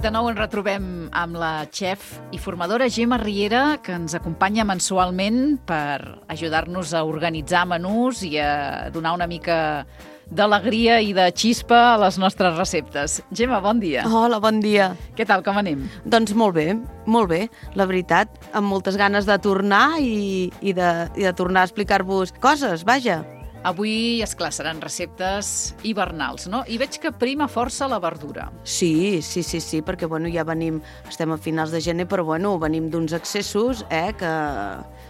De nou ens retrobem amb la xef i formadora Gemma Riera, que ens acompanya mensualment per ajudar-nos a organitzar menús i a donar una mica d'alegria i de xispa a les nostres receptes. Gemma, bon dia. Hola, bon dia. Què tal, com anem? Doncs molt bé, la veritat, amb moltes ganes de tornar i de tornar a explicar-vos coses, vaja. Avui, esclar, seran receptes hivernals, no? I veig que prima força la verdura. Sí, perquè ja estem a finals de gener, però venim d'uns excessos que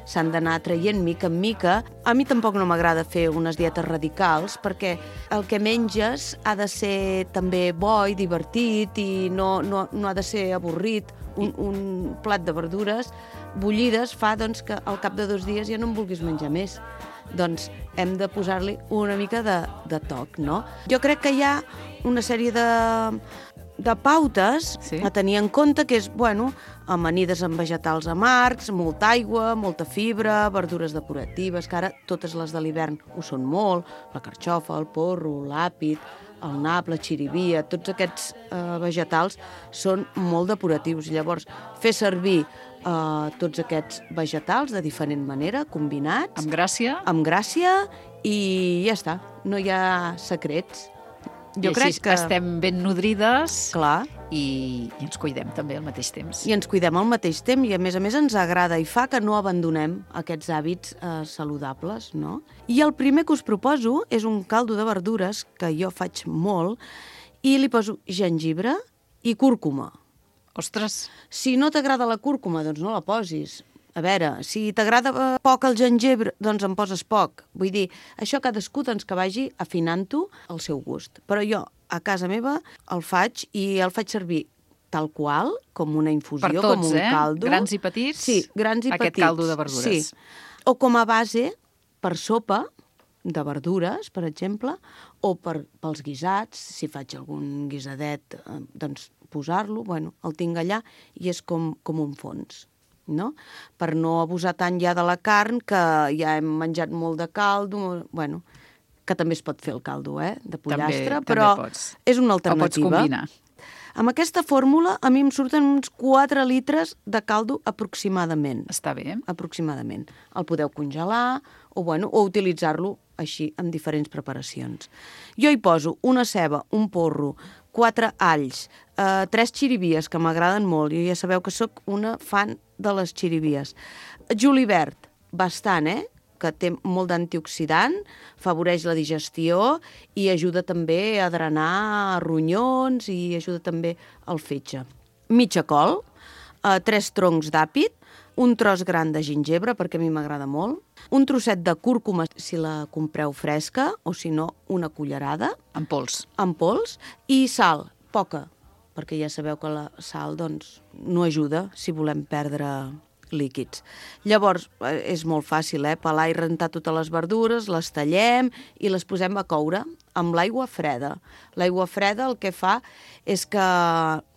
s'han d'anar traient mica en mica. A mi tampoc no m'agrada fer unes dietes radicals, perquè el que menges ha de ser també bo i divertit i no ha de ser avorrit. Un plat de verdures bullides fa que al cap de 2 dies ja no en vulguis menjar més. Doncs hem de posar-li una mica de toc, no? Jo crec que hi ha una sèrie de pautes a tenir en compte, que és, amanides amb vegetals amargs, molta aigua, molta fibra, verdures depuratives, que ara totes les de l'hivern ho són molt, la carxofa, el porro, l'àpid, el nap, la xirivia, tots aquests vegetals són molt depuratius. Llavors, fer servir tots aquests vegetals de diferent manera, combinats. Amb gràcia. Amb gràcia i ja està, no hi ha secrets. Jo crec que estem ben nodrides. Clar. I ens cuidem també al mateix temps. I ens cuidem al mateix temps i a més ens agrada i fa que no abandonem aquests hàbits saludables, no? I el primer que us proposo és un caldo de verdures que jo faig molt i li poso gengibre i cúrcuma. Ostres! Si no t'agrada la cúrcuma, doncs no la posis. A veure, si t'agrada poc el gengibre, doncs en poses poc. Vull dir, això cadascú que vagi afinant-ho al seu gust. Però jo, a casa meva, el faig i el faig servir tal qual, com una infusió, per tots, com un caldo. Grans i petits? Sí, grans i petits. Aquest caldo de verdures. Sí. O com a base per sopa de verdures, per exemple, o pels guisats, si faig algun guisadet, doncs posar-lo, el tinc allà i és com un fons, no? Per no abusar tant ja de la carn, que ja hem menjat molt de caldo, que també es pot fer el caldo, de pollastre, però és una alternativa. O pots combinar. Amb aquesta fórmula a mi em surten uns 4 litres de caldo aproximadament. Està bé. Aproximadament. El podeu congelar o utilitzar-lo així en diferents preparacions. Jo hi poso una ceba, un porro, 4 alls, 3 xirivies, que m'agraden molt. Jo ja sabeu que sóc una fan de les xirivies. Julivert, bastant, que té molt d'antioxidant, afavoreix la digestió i ajuda també a drenar ronyons i ajuda també al fetge. Mitja col, 3 troncs d'àpid, un tros gran de gingebre, perquè a mi m'agrada molt, un trosset de cúrcuma, si la compreu fresca, o si no, una cullerada. En pols. En pols, i sal, poca, perquè ja sabeu que la sal no ajuda si volem perdre líquids. Llavors, és molt fàcil, pelar i rentar totes les verdures, les tallem i les posem a coure amb l'aigua freda. L'aigua freda el que fa és que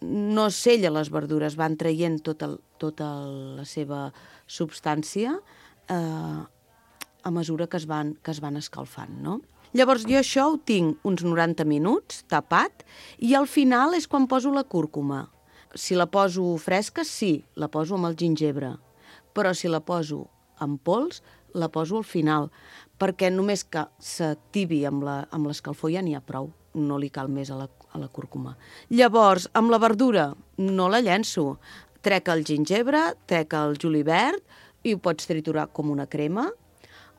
no sella les verdures, van traient tota la seva substància a mesura que es van escalfant, no? Llavors jo això ho tinc uns 90 minuts tapat i al final és quan poso la cúrcuma. Si la poso fresca, sí, la poso amb el gingebre, però si la poso en pols, la poso al final, perquè només que s'activi amb l'escalfor ja n'hi ha prou, no li cal més a la cúrcuma. Llavors, amb la verdura no la llenço, trec el gingebre, trec el julivert i ho pots triturar com una crema,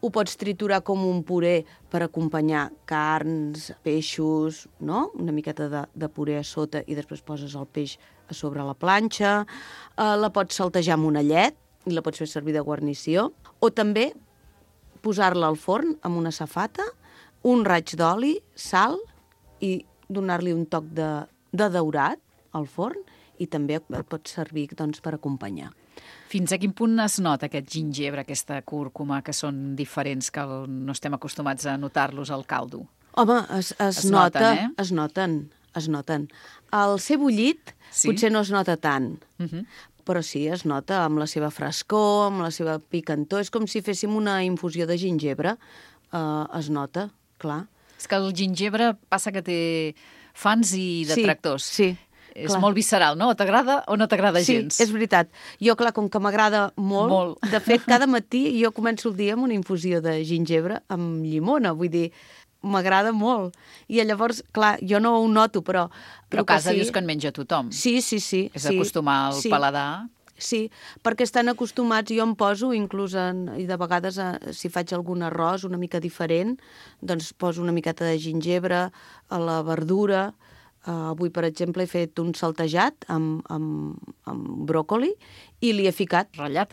ho pots triturar com un puré per acompanyar carns, peixos, no? Una miqueta de puré a sota i després poses el peix a sobre la planxa. La pots saltejar amb una llet i la pots fer servir de guarnició. O també posar-la al forn amb una safata, un raig d'oli, sal i donar-li un toc de daurat al forn i també el pots servir per acompanyar. Fins a quin punt es nota aquest gingebre, aquesta cúrcuma, que són diferents, que no estem acostumats a notar-los al caldo? Home, es noten. El ser bullit potser no es nota tant, però sí, es nota amb la seva frescor, amb la seva picantor. És com si féssim una infusió de gingebre. Es nota, clar. És que el gingebre passa que té fans i detractors. Sí. És molt visceral, no? O t'agrada o no t'agrada gens. Sí, és veritat. Jo, clar, com que m'agrada molt, de fet, cada matí jo començo el dia amb una infusió de gingebre amb llimona, vull dir, m'agrada molt. I llavors, clar, jo no ho noto, però... Però a casa dius que en menja tothom. Sí. És acostumar el paladar. Sí, perquè estan acostumats, jo em poso, inclús, i de vegades, si faig algun arròs una mica diferent, doncs poso una miqueta de gingebre a la verdura. Avui, per exemple, he fet un saltejat amb bròcoli i li he ficat ratllat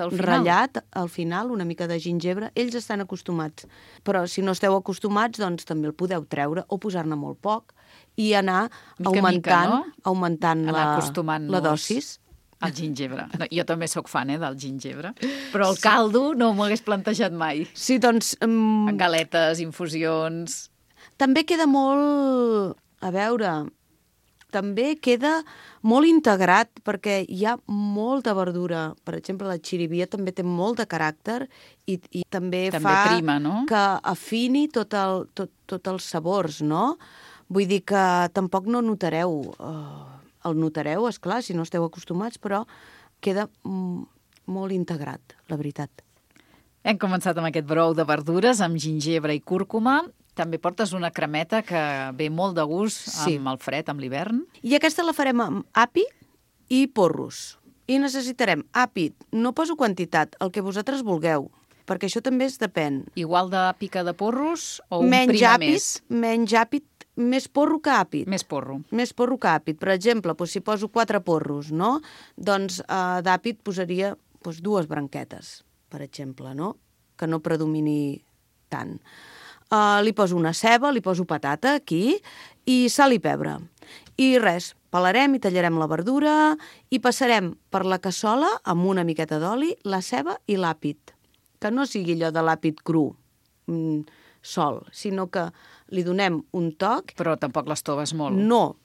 al final una mica de gingebre. Ells estan acostumats, però si no esteu acostumats, doncs també el podeu treure o posar-ne molt poc i anar augmentant la dosis. El gingebre. No, jo també sóc fan, del gingebre. Però el caldo no m'ho hagués plantejat mai. Sí, doncs... En galetes, infusions... També queda molt... A veure... També queda molt integrat perquè hi ha molta verdura. Per exemple, la xirivia també té molt de caràcter i també fa prima, no? Que afini tots els sabors, no? Vull dir que tampoc no notareu... El notareu, esclar, si no esteu acostumats, però queda molt integrat, la veritat. Hem començat amb aquest brou de verdures, amb gingebre i cúrcuma. També portes una cremeta que ve molt de gust amb el fred, amb l'hivern. I aquesta la farem amb api i porros. I necessitarem api, no poso quantitat, el que vosaltres vulgueu, perquè això també depèn. Igual d'api que de porros o un prima més? Menys àpid, més porro que àpid. Més porro. Més porro que àpid. Per exemple, si poso 4 porros, no? Doncs d'àpid posaria 2 branquetes, per exemple, no? Que no predomini tant. Li poso una ceba, li poso patata aquí i sal i pebre. I res, pelarem i tallarem la verdura i passarem per la cassola amb una miqueta d'oli, la ceba i l'àpid. Que no sigui allò de l'àpid cru, sol, sinó que li donem un toc... Però tampoc l'estoves molt. No,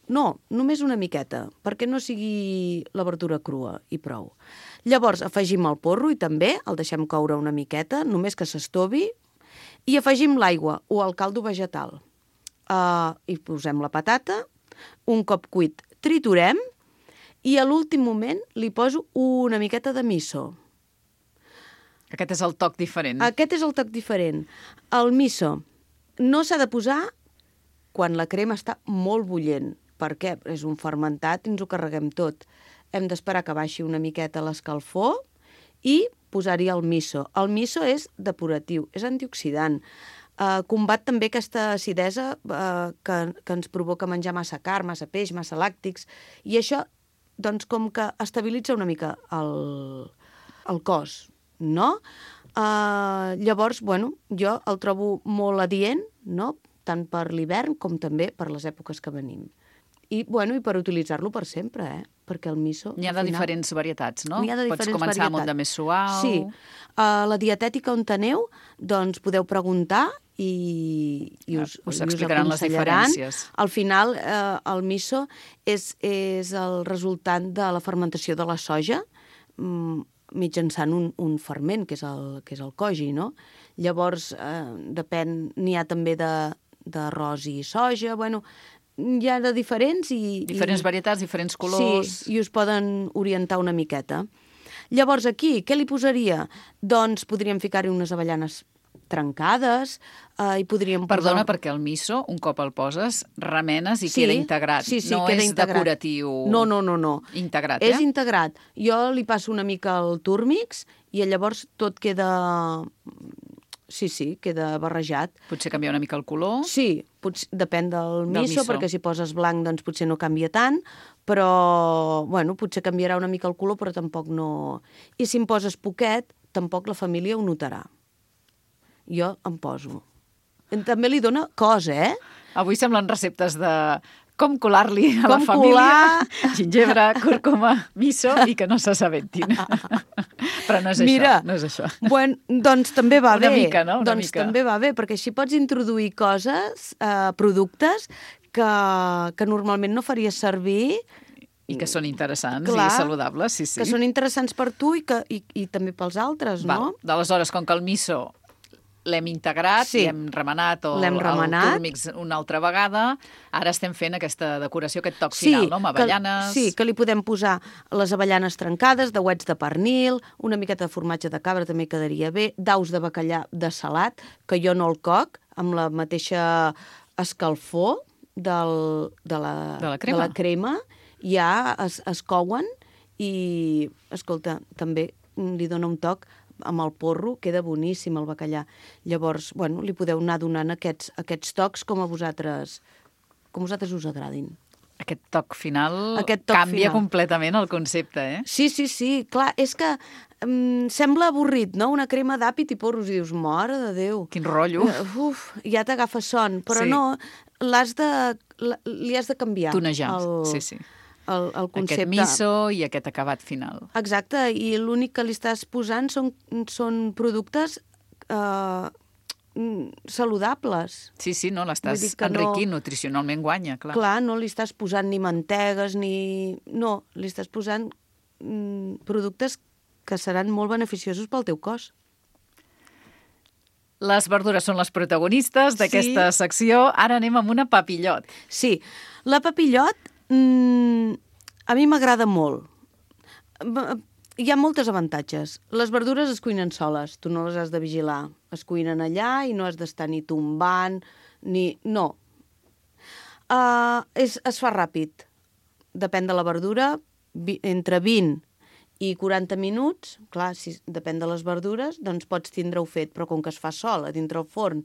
només una miqueta, perquè no sigui la verdura crua i prou. Llavors afegim el porro i també el deixem coure una miqueta, només que s'estovi, i afegim l'aigua o el caldo vegetal. I posem la patata, un cop cuit triturem i a l'últim moment li poso una miqueta de miso. Aquest és el toc diferent. Aquest és el toc diferent. El miso no s'ha de posar quan la crema està molt bullent. Per què? És un fermentat i ens ho carreguem tot. Hem d'esperar que baixi una miqueta l'escalfor i posar-hi el miso. El miso és depuratiu, és antioxidant. Combat també aquesta acidesa que ens provoca menjar massa carn, massa peix, massa làctics. I això, doncs, com que estabilitza una mica el cos, no? Llavors, jo el trobo molt adient, no? Tant per l'hivern com també per les èpoques que venim. I per utilitzar-lo per sempre, perquè el miso... N'hi ha de diferents varietats, no? N'hi ha de diferents varietats. Pots començar amb un de més suau... Sí. A la dietètica on aneu, doncs podeu preguntar i us explicaran les diferències. Al final, el miso és el resultant de la fermentació de la soja, mitjançant un ferment, que és el koji, no? Llavors, n'hi ha també d'arròs i soja, hi ha de diferents i... Diferents varietats, diferents colors... Sí, i us poden orientar una miqueta. Llavors, aquí, què li posaria? Doncs podríem ficar-hi unes avellanes trencades i podríem posar... Perdona, perquè el miso, un cop el poses, remenes i queda integrat. Sí, no queda és integrat. Decoratiu... No. Integrat, És integrat. Jo li passo una mica el túrmix i llavors tot queda... Sí, queda barrejat. Potser canvia una mica el color? Sí, depèn del miso, perquè si poses blanc doncs potser no canvia tant, però, potser canviarà una mica el color, però tampoc no... I si em poses poquet, tampoc la família ho notarà. Jo em poso. També li dona cos, Avui semblen receptes de... Com colar-li a la família gingebre, cúrcuma, miso i que no s'assabentin. Però no és Mira, això, no és això. Doncs també va bé. Una mica, no? També va bé, perquè així pots introduir coses, productes que normalment no faries servir... I que són interessants i saludables, sí. Que són interessants per tu i també pels altres, no? D'aleshores, com que el miso l'hem integrat, Sí. hem remenat L'hem remenat. el túrmix una altra vegada. Ara estem fent aquesta decoració, aquest toc final, no? Amb avellanes... Que li podem posar les avellanes trencades, dauets de pernil, una miqueta de formatge de cabra també quedaria bé, daus de bacallà de salat, que jo no el coc, amb la mateixa escalfor de la crema, ja es couen i, escolta, també li dona un toc amb el porro, queda boníssim el bacallà. Llavors, bueno, li podeu anar donant aquests tocs com a vosaltres us agradin. Aquest toc final canvia completament el concepte, eh? Sí, clar, és que sembla avorrit, no? Una crema d'àpid i porros, i dius, mare de Déu. Quin rotllo. Ja t'agafa son, però no, li has de canviar. Tonejar, sí. El concepte. Aquest miso i aquest acabat final. Exacte, i l'únic que li estàs posant són productes saludables. Sí, no, l'estàs enriquint, nutricionalment guanya, clar. Clar, no li estàs posant ni mantegues, no, li estàs posant productes que seran molt beneficiosos pel teu cos. Les verdures són les protagonistes d'aquesta secció. Ara anem amb una papillot. Sí, la papillot a mi m'agrada molt. Hi ha moltes avantatges. Les verdures es cuinen soles, tu no les has de vigilar. Es cuinen allà i no has d'estar ni tombant, ni... No. Es fa ràpid. Depèn de la verdura, entre 20 i 40 minuts, clar, si depèn de les verdures, doncs pots tindre-ho fet, però com que es fa sol a dintre el forn,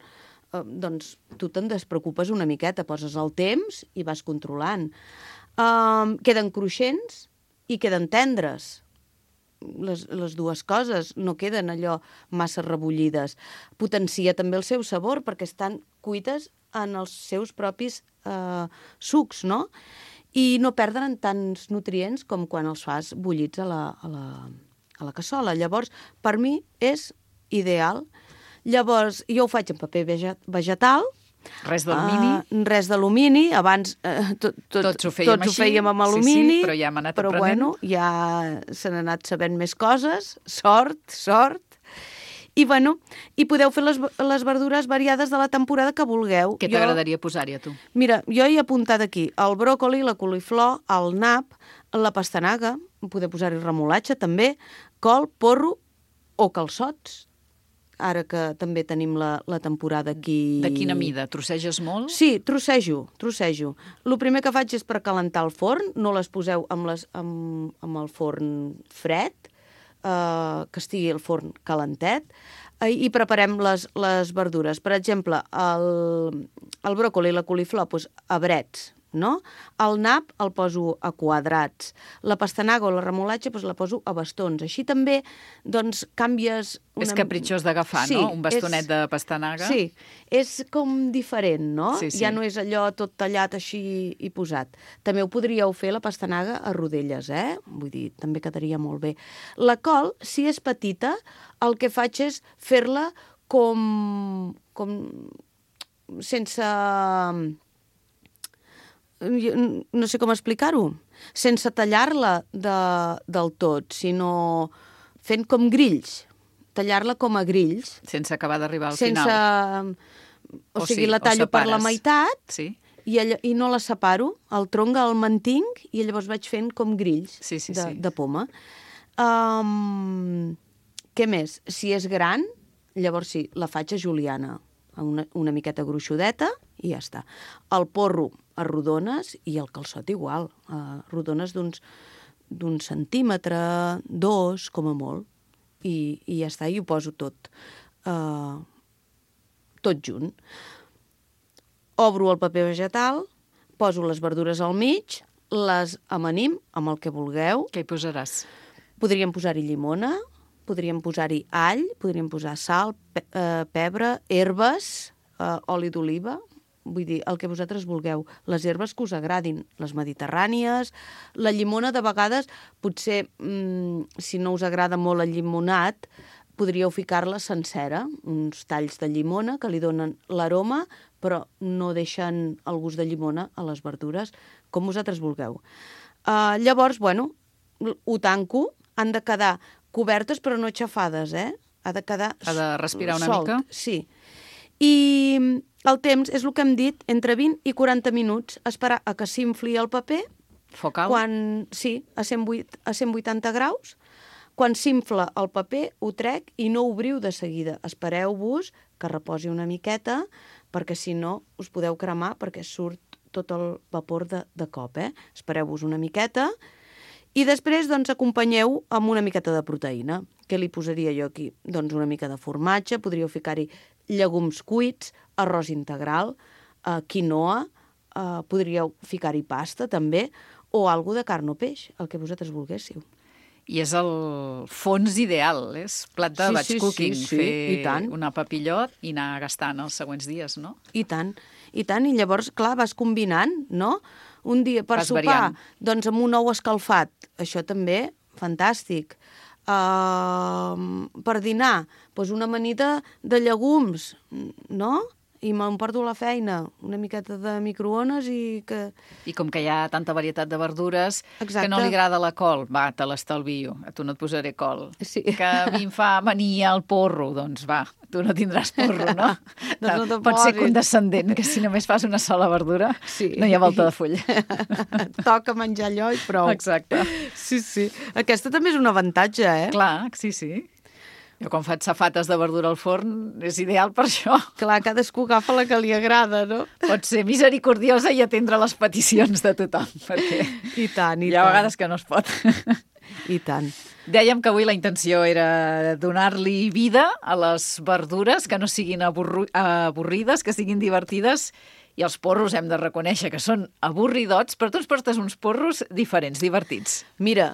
doncs tu te'n despreocupes una miqueta, poses el temps i vas controlant. Queden cruixents i queden tendres. Les dues coses no queden allò massa rebullides. Potencia també el seu sabor perquè estan cuites en els seus propis sucs, no? I no perden tants nutrients com quan els fas bullits a la cassola. Llavors, per mi és ideal. Llavors, jo ho faig en paper vegetal. Res d'alumini? Res d'alumini. Abans tots ho fèiem amb alumini. Sí, però ja hem anat aprenent. Però bueno, ja se n'han anat sabent més coses. Sort. I bueno, i podeu fer les verdures variades de la temporada que vulgueu. Què t'agradaria posar-hi a tu? Mira, jo he apuntat aquí el bròcoli, la coliflor, el nap, la pastanaga, podeu posar-hi remolatge també, col, porro o calçots. Ara que també tenim la temporada aquí... De quina mida? Trosseges molt? Sí, trossejo. El primer que faig és per calentar el forn, no les poseu amb el forn fred, que estigui el forn calentet, i preparem les verdures. Per exemple, el bròcoli i la coliflor, doncs, a brets, no? El nap el poso a quadrats. La pastanaga o la remolatge la poso a bastons. Així també, doncs, canvies... És capritxós d'agafar, no? Un bastonet de pastanaga. Sí, és com diferent, no? Sí. Ja no és allò tot tallat així i posat. També ho podríeu fer la pastanaga a rodelles, Vull dir, també quedaria molt bé. La col, si és petita, el que faig és fer-la com sense... no sé com explicar-ho, sense tallar-la del tot, sinó fent com grills, tallar-la com a grills. Sense acabar d'arribar al final. O sigui, la tallo per la meitat i no la separo, el tronc el mantinc i llavors vaig fent com grills de poma. Què més? Si és gran, llavors sí, la faig a juliana, una miqueta gruixudeta i ja està. El porro a rodones i el calçot igual, a rodones d'un centímetre, 2, com a molt, i ja està, i ho poso tot junt. Obro el paper vegetal, poso les verdures al mig, les amanim amb el que vulgueu. Què hi posaràs? Podríem posar-hi llimona, podríem posar-hi all, podríem posar sal, pebre, herbes, oli d'oliva, vull dir, el que vosaltres vulgueu. Les herbes que us agradin, les mediterrànies. La llimona, de vegades, potser, si no us agrada molt el llimonat, podríeu ficar-la sencera, uns talls de llimona que li donen l'aroma, però no deixen el gust de llimona a les verdures, com vosaltres vulgueu. Llavors, bueno, ho tanco, han de quedar cobertes però no aixafades, ha de quedar Ha de respirar una solt, mica. Sí. I el temps és el que hem dit, entre 20 i 40 minuts, esperar a que s'infli el paper, Foc alt? sí, a 180 graus. Quan s'infla el paper, ho trec i no obriu de seguida. Espereu-vos que reposi una miqueta, perquè si no us podeu cremar perquè surt tot el vapor de cop. Espereu-vos una miqueta i després doncs, acompanyeu amb una miqueta de proteïna. Què li posaria jo aquí? Doncs una mica de formatge, podríeu ficar-hi llegums cuits, arròs integral, quinoa, podríeu ficar-hi pasta també, o alguna de carn o peix, el que vosaltres volguéssiu. I és el fons ideal, és plat de batch cooking, i tant. fer una papillot i anar gastant els següents dies, no? I tant, i llavors, clar, vas combinant, no? Un dia per Vas sopar, variant. doncs amb un ou escalfat, això també, fantàstic. Per dinar, doncs una amanida de llegums, no? I m'emporto a la feina una miqueta de microones i que... I com que hi ha tanta varietat de verdures, Exacte. que no li agrada la col, va, te l'estalvio, a tu no et posaré col. Sí. Que a mi em fa mania el porro, doncs va, tu no tindràs porro, no? Doncs no te'n Pots ser posis. condescendent, que si només fas una sola verdura, Sí. no hi ha volta de full. Toca menjar allò i prou. Exacte. Sí, sí. Aquesta també és un avantatge, Clar, sí, sí. Jo quan faig safates de verdura al forn és ideal per això. Clar, cadascú agafa la que li agrada, no? Pots ser misericordiosa i atendre les peticions de tothom, perquè I tant, hi ha vegades que no es pot. I tant. Dèiem que avui la intenció era donar-li vida a les verdures, que no siguin avorrides, que siguin divertides, i els porros hem de reconèixer que són avorridots, però tu ens portes uns porros diferents, divertits. Mira,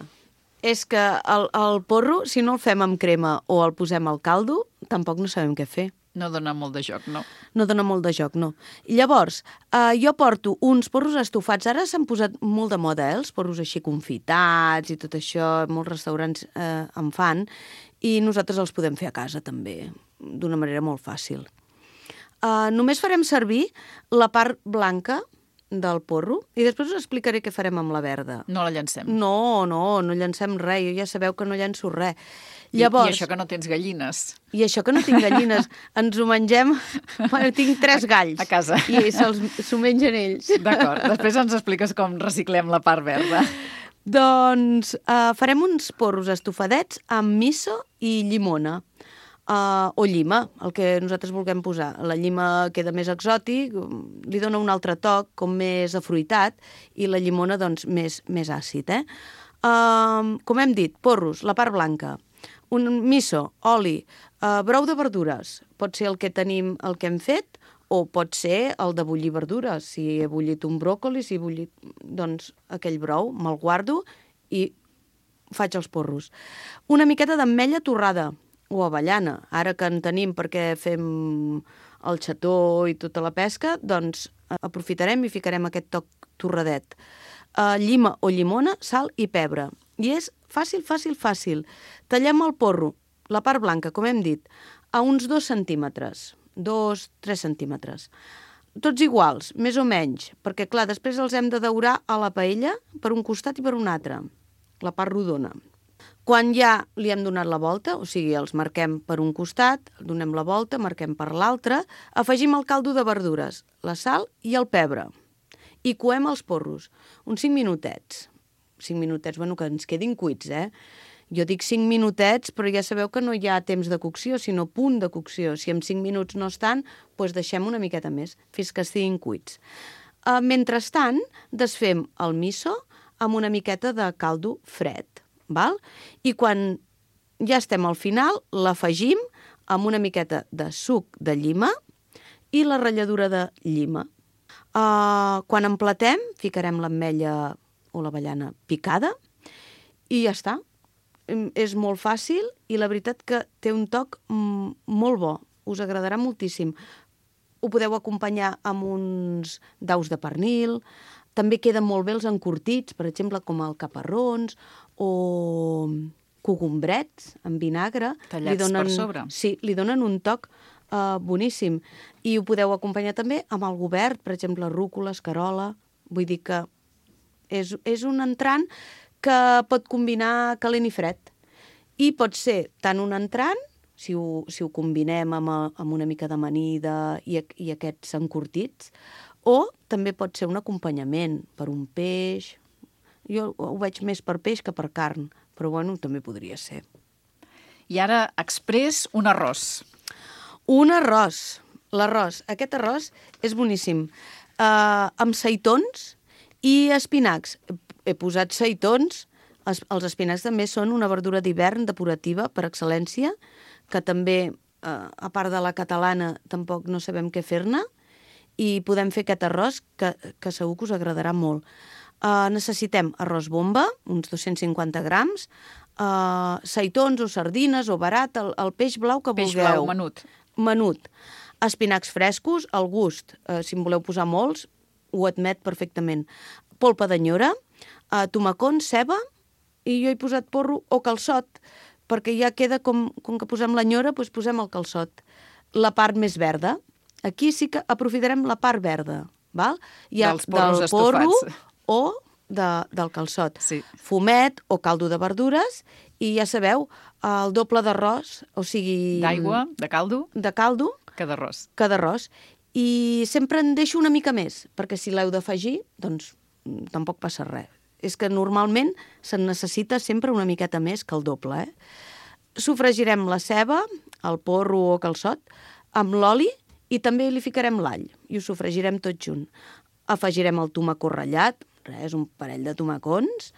és que el porro, si no el fem amb crema o el posem al caldo, tampoc no sabem què fer. No dona molt de joc, no? No dona molt de joc, no. I llavors, jo porto uns porros estofats. Ara s'han posat molt de moda, els porros així confitats i tot això. Molts restaurants en fan. I nosaltres els podem fer a casa, també, d'una manera molt fàcil. Només farem servir la part blanca del porro i després us explicaré què farem amb la verda. No la llancem. No llancem res. Jo ja sabeu que no llanço res. Llavors... I això que no tens gallines. I això que no tinc gallines. Ens ho mengem... Bueno, tinc 3 galls. A casa. I s'ho mengen ells. D'acord. Després ens expliques com reciclem la part verda. Doncs farem uns porros estofadets amb miso i llimona. O llima, el que nosaltres vulguem posar. La llima queda més exòtic, li dona un altre toc, com més afruitat, i la llimona, doncs, més àcid, com hem dit, porros, la part blanca, un miso, oli, brou de verdures, pot ser el que tenim, el que hem fet, o pot ser el de bullir verdures. Si he bullit un bròcoli, si he bullit, doncs, aquell brou, me'l guardo i faig els porros. Una miqueta d'ametlla torrada, o avellana, ara que en tenim perquè fem el xató i tota la pesca, doncs aprofitarem i ficarem aquest toc torradet. Llima o llimona, sal i pebre. I és fàcil. Tallem el porro, la part blanca, com hem dit, a uns 2 centímetres, 2-3 centímetres. Tots iguals, més o menys, perquè, clar, després els hem de daurar a la paella per un costat i per un altre, la part rodona. Quan ja li hem donat la volta, o sigui, els marquem per un costat, donem la volta, marquem per l'altre, afegim el caldo de verdures, la sal i el pebre. I coem els porros, uns 5 minutets. 5 minutets, bueno, que ens quedin cuits, Jo dic 5 minutets, però ja sabeu que no hi ha temps de cocció, sinó punt de cocció. Si en 5 minuts no estan, doncs deixem una miqueta més, fins que estiguin cuits. Mentrestant, desfem el miso amb una miqueta de caldo fred. Val? I quan ja estem al final, l'afegim amb una miqueta de suc de llima i la ratlladura de llima. Quan emplatem, ficarem l'ametlla o l'avellana picada i ja està. És molt fàcil i la veritat que té un toc molt bo. Us agradarà moltíssim. Ho podeu acompanyar amb uns daus de pernil. També queden molt bé els encurtits, per exemple, com el caparrons o cogombrets amb vinagre. Tallats per sobre. Sí, li donen un toc boníssim. I ho podeu acompanyar també amb algo verd, per exemple, rúcula, escarola. Vull dir que és un entrant que pot combinar calent i fred. I pot ser tant un entrant si ho combinem amb una mica d'amanida i aquests encurtits, o també pot ser un acompanyament per un peix. Jo ho veig més per peix que per carn, però bueno, també podria ser. I ara, exprés, un arròs. Un arròs. L'arròs. Aquest arròs és boníssim. Amb seitons i espinacs. He posat seitons. Els espinacs també són una verdura d'hivern depurativa per excel·lència, que també, a part de la catalana, tampoc no sabem què fer-ne, i podem fer aquest arròs que segur que us agradarà molt. Necessitem arròs bomba, uns 250 grams, seitons o sardines o barat, el peix blau que vulgueu. Peix blau, menut. Menut. Espinacs frescos, al gust. Si en voleu posar molts, ho admet perfectament. Polpa d'anyora, tomacons, ceba, i jo he posat porro o calçot, perquè ja queda com que posem l'anyora, doncs posem el calçot. La part més verda. Aquí sí que aprofitarem la part verda, val? Dels porros estofats. O del calçot. Sí. Fumet o caldo de verdures i ja sabeu, el doble d'arròs, o sigui... D'aigua, de caldo. De caldo. Que d'arròs. Que d'arròs. I sempre en deixo una mica més, perquè si l'heu d'afegir, doncs tampoc passa res. És que normalment se'n necessita sempre una miqueta més que el doble, Sofregirem la ceba, el porro o calçot, amb l'oli i també li ficarem l'all i ho sofregirem tot junt. Afegirem el tomacó ratllat, res, un parell de tomacons,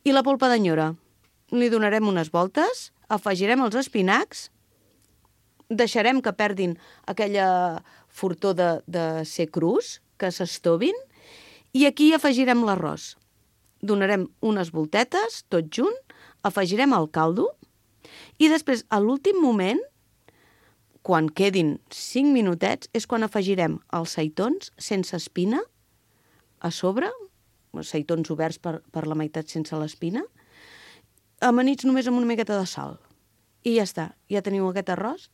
i la polpa d'anyora. Li donarem unes voltes, afegirem els espinacs, deixarem que perdin aquella fortor de ser crus, que s'estovin, i aquí afegirem l'arròs. Donarem unes voltetes, tot junt, afegirem el caldo, i després, a l'últim moment, quan quedin 5 minutets, és quan afegirem els seitons sense espina a sobre, seitons oberts per la meitat sense l'espina, amanits només amb una miqueta de sal. I ja està, ja teniu aquest arròs,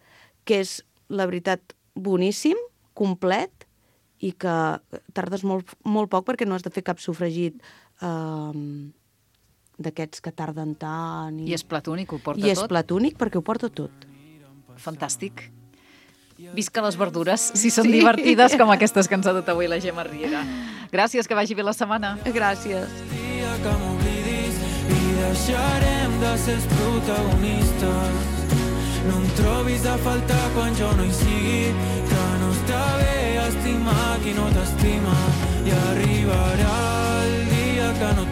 que és, la veritat, boníssim, complet, i que tardes molt, molt poc perquè no has de fer cap sofregit d'aquests que tarden tant. I és plat únic, ho porta tot? I és plat únic perquè ho porta tot. Fantàstic. Visca les verdures, si són divertides com aquestes que ens ha dut avui la Gemma Riera. Gràcies, que vagi bé la setmana. Gràcies. Dia que m'oblidis i deixarem de ser els protagonistes. No em trobis a faltar quan jo no hi sigui, que no està bé estimar qui no t'estima. I arribarà el dia que no